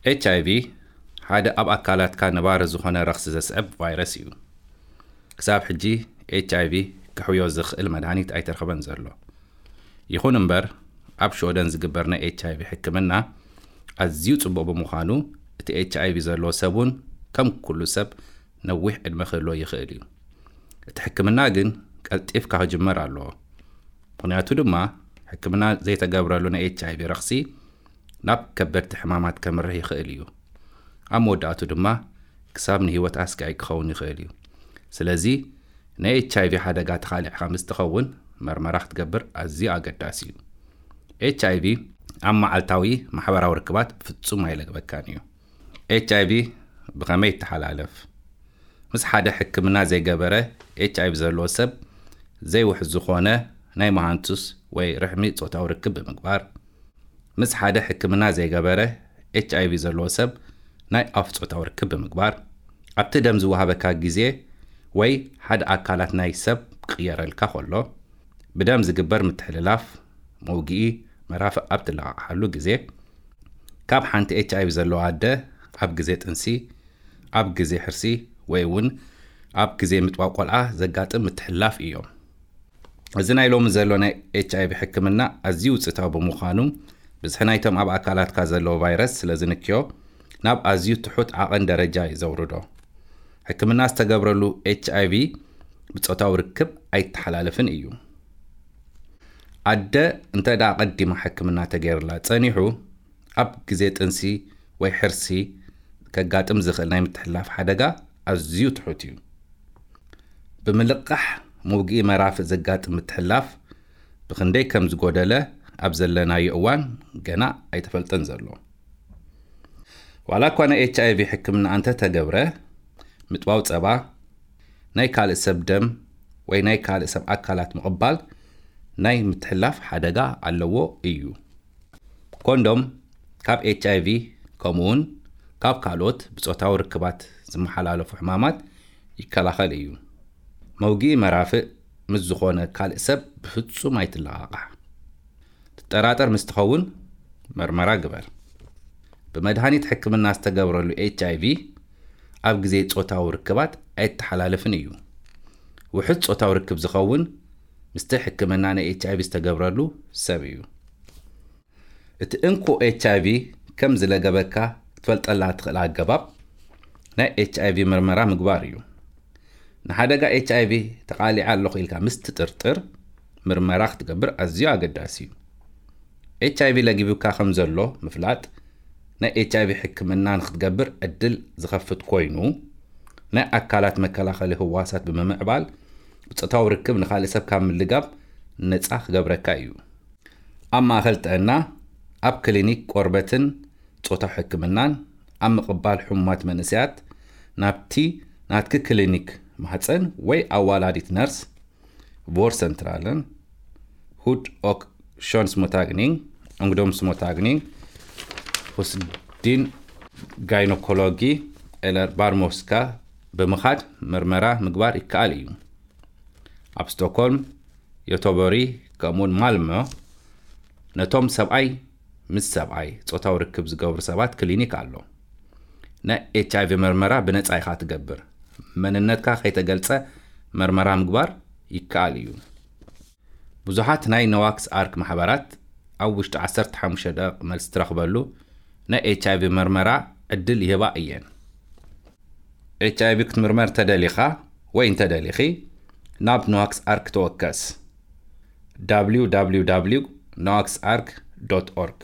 ኤች ኣይ ቪ ሓደ ኣብ ኣካላትካ ነባሪ ዝኾነ ረኽሲ ዘስዕብ ቫይረስ እዩ። ክሳብ ሕጂ ኤች ኣይ ቪ ክሕውዮ ዝኽእል መድሃኒት ኣይተረኽበን ዘሎ። ይኹን እምበር፣ ኣብ ሽወደን ዝግበር ናይ ኤች ኣይ ቪ ሕክምና ኣዝዩ ጽቡቕ ብምዃኑ፣ እቲ ኤች ኣይ ቪ ዘለዎ ሰብ እውን ከም ኩሉ ሰብ ነዊሕ ዕድመ ክህልዎ ይኽእል እዩ። እቲ ሕክምና ግን ቀልጢፍካ ክጅመር ኣለዎ። ምኽንያቱ ድማ፣ ሕክምና ዘይተገብረሉ ናይ ኤች ኣይ ቪ ረኽሲ ናብ ከበድቲ ሕማማት ከምርሕ ይኽእል እዩ። ኣብ መወዳእቱ ድማ ክሳብ ንህይወት ኣስጋኢ ክኸውን ይኽእል እዩ። ስለዚ ናይ ኤች ኣይ ቪ ሓደጋ ተኻሊዕካ ምስ ትኸውን መርመራ ክትገብር ኣዝዩ ኣገዳሲ እዩ። ኤች ኣይ ቪ ኣብ መዓልታዊ ማሕበራዊ ርክባት ፍጹም ኣይለግበካን እዩ። ኤች ኣይ ቪ ብኸመይ ይተሓላለፍ? ምስ ሓደ ሕክምና ዘይገበረ ኤች ኣይ ቪ ዘለዎ ሰብ ዘይውሕዝ ዝኾነ ናይ መሃንቱስ ወይ ርሕሚ ጾታዊ ርክብ ብምግባር፣ ምስ ሓደ ሕክምና ዘይገበረ ኤች ኣይ ቪ ዘለዎ ሰብ ናይ ኣፍ ጾታዊ ርክብ ብምግባር፣ ኣብቲ ደም ዝወሃበካ ግዜ ወይ ሓደ ኣካላት ናይ ሰብ ክቕየረልካ ከሎ፣ ብደም ዝግበር ምትሕልላፍ፣ መውግኢ መራፍእ ኣብ ትለቓቕሓሉ ግዜ፣ ካብ ሓንቲ ኤች ኣይ ቪ ዘለዋ ኣደ ኣብ ግዜ ጥንሲ፣ ኣብ ግዜ ሕርሲ ወይ እውን ኣብ ግዜ ምጥባብ ቆልዓ ዘጋጥም ምትሕልላፍ እዮም። እዚ ናይ ሎሚ ዘሎ ናይ ኤች ኣይ ቪ ሕክምና ኣዝዩ ውፅኢታዊ ብምዃኑ፣ ብዝሒ ናይቶም ኣብ ኣካላትካ ዘለዉ ቫይረስ ስለ ዝንክዮ፣ ናብ ኣዝዩ ትሑት ዓቐን ደረጃ እዩ ዘውርዶ። ሕክምና ዝተገብረሉ ኤች ኣይ ቪ ብጾታዊ ርክብ ኣይተሓላለፍን እዩ። ኣደ እንተ ደኣ ቀዲማ ሕክምና ተገይርላ ጸኒሑ፣ ኣብ ግዜ ጥንሲ ወይ ሕርሲ ከጋጥም ዝኽእል ናይ ምትሕልላፍ ሓደጋ ኣዝዩ ትሑት እዩ። ብምልቃሕ መውግኢ መራፍእ ዘጋጥም ምትሕልላፍ ብኽንደይ ከም ዝጎደለ ኣብ ዘለናዮ እዋን ገና ኣይተፈልጠን ዘሎ። ዋላ እኳ ናይ ኤች ኣይ ቪ ሕክምና እንተ ተገብረ፣ ምጥባው ጸባ፣ ናይ ካልእ ሰብ ደም ወይ ናይ ካልእ ሰብ ኣካላት ምቕባል ናይ ምትሕልላፍ ሓደጋ ኣለዎ እዩ። ኮንዶም ካብ ኤች ኣይ ቪ ከምኡውን ካብ ካልኦት ብጾታዊ ርክባት ዝመሓላለፉ ሕማማት ይከላኸል እዩ። መውግኢ መራፍእ ምስ ዝኾነ ካልእ ሰብ ብፍጹም ኣይትለቓቓሕ። ትጠራጠር ምስ ትኸውን መርመራ ግበር። ብመድሃኒት ሕክምና ዝተገብረሉ ኤች ኣይ ቪ ኣብ ግዜ ጾታዊ ርክባት ኣይተሓላለፍን እዩ። ውሑድ ጾታዊ ርክብ ዝኸውን ምስቲ ሕክምና ናይ ኤች ኣይ ቪ ዝተገብረሉ ሰብ እዩ። እቲ እንኮ ኤች ኣይ ቪ ከም ዝለገበካ ክትፈልጠላ ትኽእል ኣገባብ ናይ ኤች ኣይ ቪ ምርመራ ምግባር እዩ። ንሓደጋ ኤች ኣይ ቪ ተቓሊዐ ኣለኹ ኢልካ ምስ ትጥርጥር ምርመራ ክትገብር ኣዝዩ ኣገዳሲ እዩ። ኤች ኣይ ቪ ለጊቡካ ከም ዘሎ ምፍላጥ ናይ ኤች ኣይ ቪ ሕክምና ንክትገብር ዕድል ዝኸፍት ኮይኑ፣ ናይ ኣካላት መከላኸሊ ህዋሳት ብምምዕባል ብጾታዊ ርክብ ንኻልእ ሰብ ካብ ምልጋብ ነጻ ክገብረካ እዩ። ኣብ ማእከል ጥዕና፣ ኣብ ክሊኒክ ቆርበትን ጾታዊ ሕክምናን፣ ኣብ ምቕባል ሕሙማት መንእሰያት ናብቲ ናትኪ ክሊኒክ ማህጸን ወይ ኣዋላዲት ነርስ፣ ቮርሰንትራለን፣ ሁድ ኦክ ሾንስሞታግኒንግ፣ ኦንግዶምስሞታግኒንግ፣ ሁስዲን ጋይኖኮሎጂ ኤለር ባርሞስካ ብምኻድ ምርመራ ምግባር ይከኣል እዩ። ኣብ ስቶክሆልም፣ ዮቶቦሪ፣ ከምኡውን ማልሞ ነቶም ሰብኣይ ምስ ሰብኣይ ጾታዊ ርክብ ዝገብሩ ሰባት ክሊኒክ ኣሎ። ናይ ኤች ኣይ ቪ መርመራ ብነጻ ኢኻ ትገብር። መንነትካ ከይተገልጸ መርመራ ምግባር ይከኣል እዩ። ብዙሓት ናይ ኖዋክስ ኣርክ ማሕበራት ኣብ ውሽጢ ዓሰርተ ሓሙሽተ ደቂቕ መልሲ ትረኽበሉ ናይ ኤች ኣይ ቪ መርመራ ዕድል ይህባ እየን። ኤች ኣይ ቪ ክትምርመር ተደሊኻ ወይ እንተደሊኺ ናብ ኖዋክስ ኣርክ ተወከስ። www noaxark.org።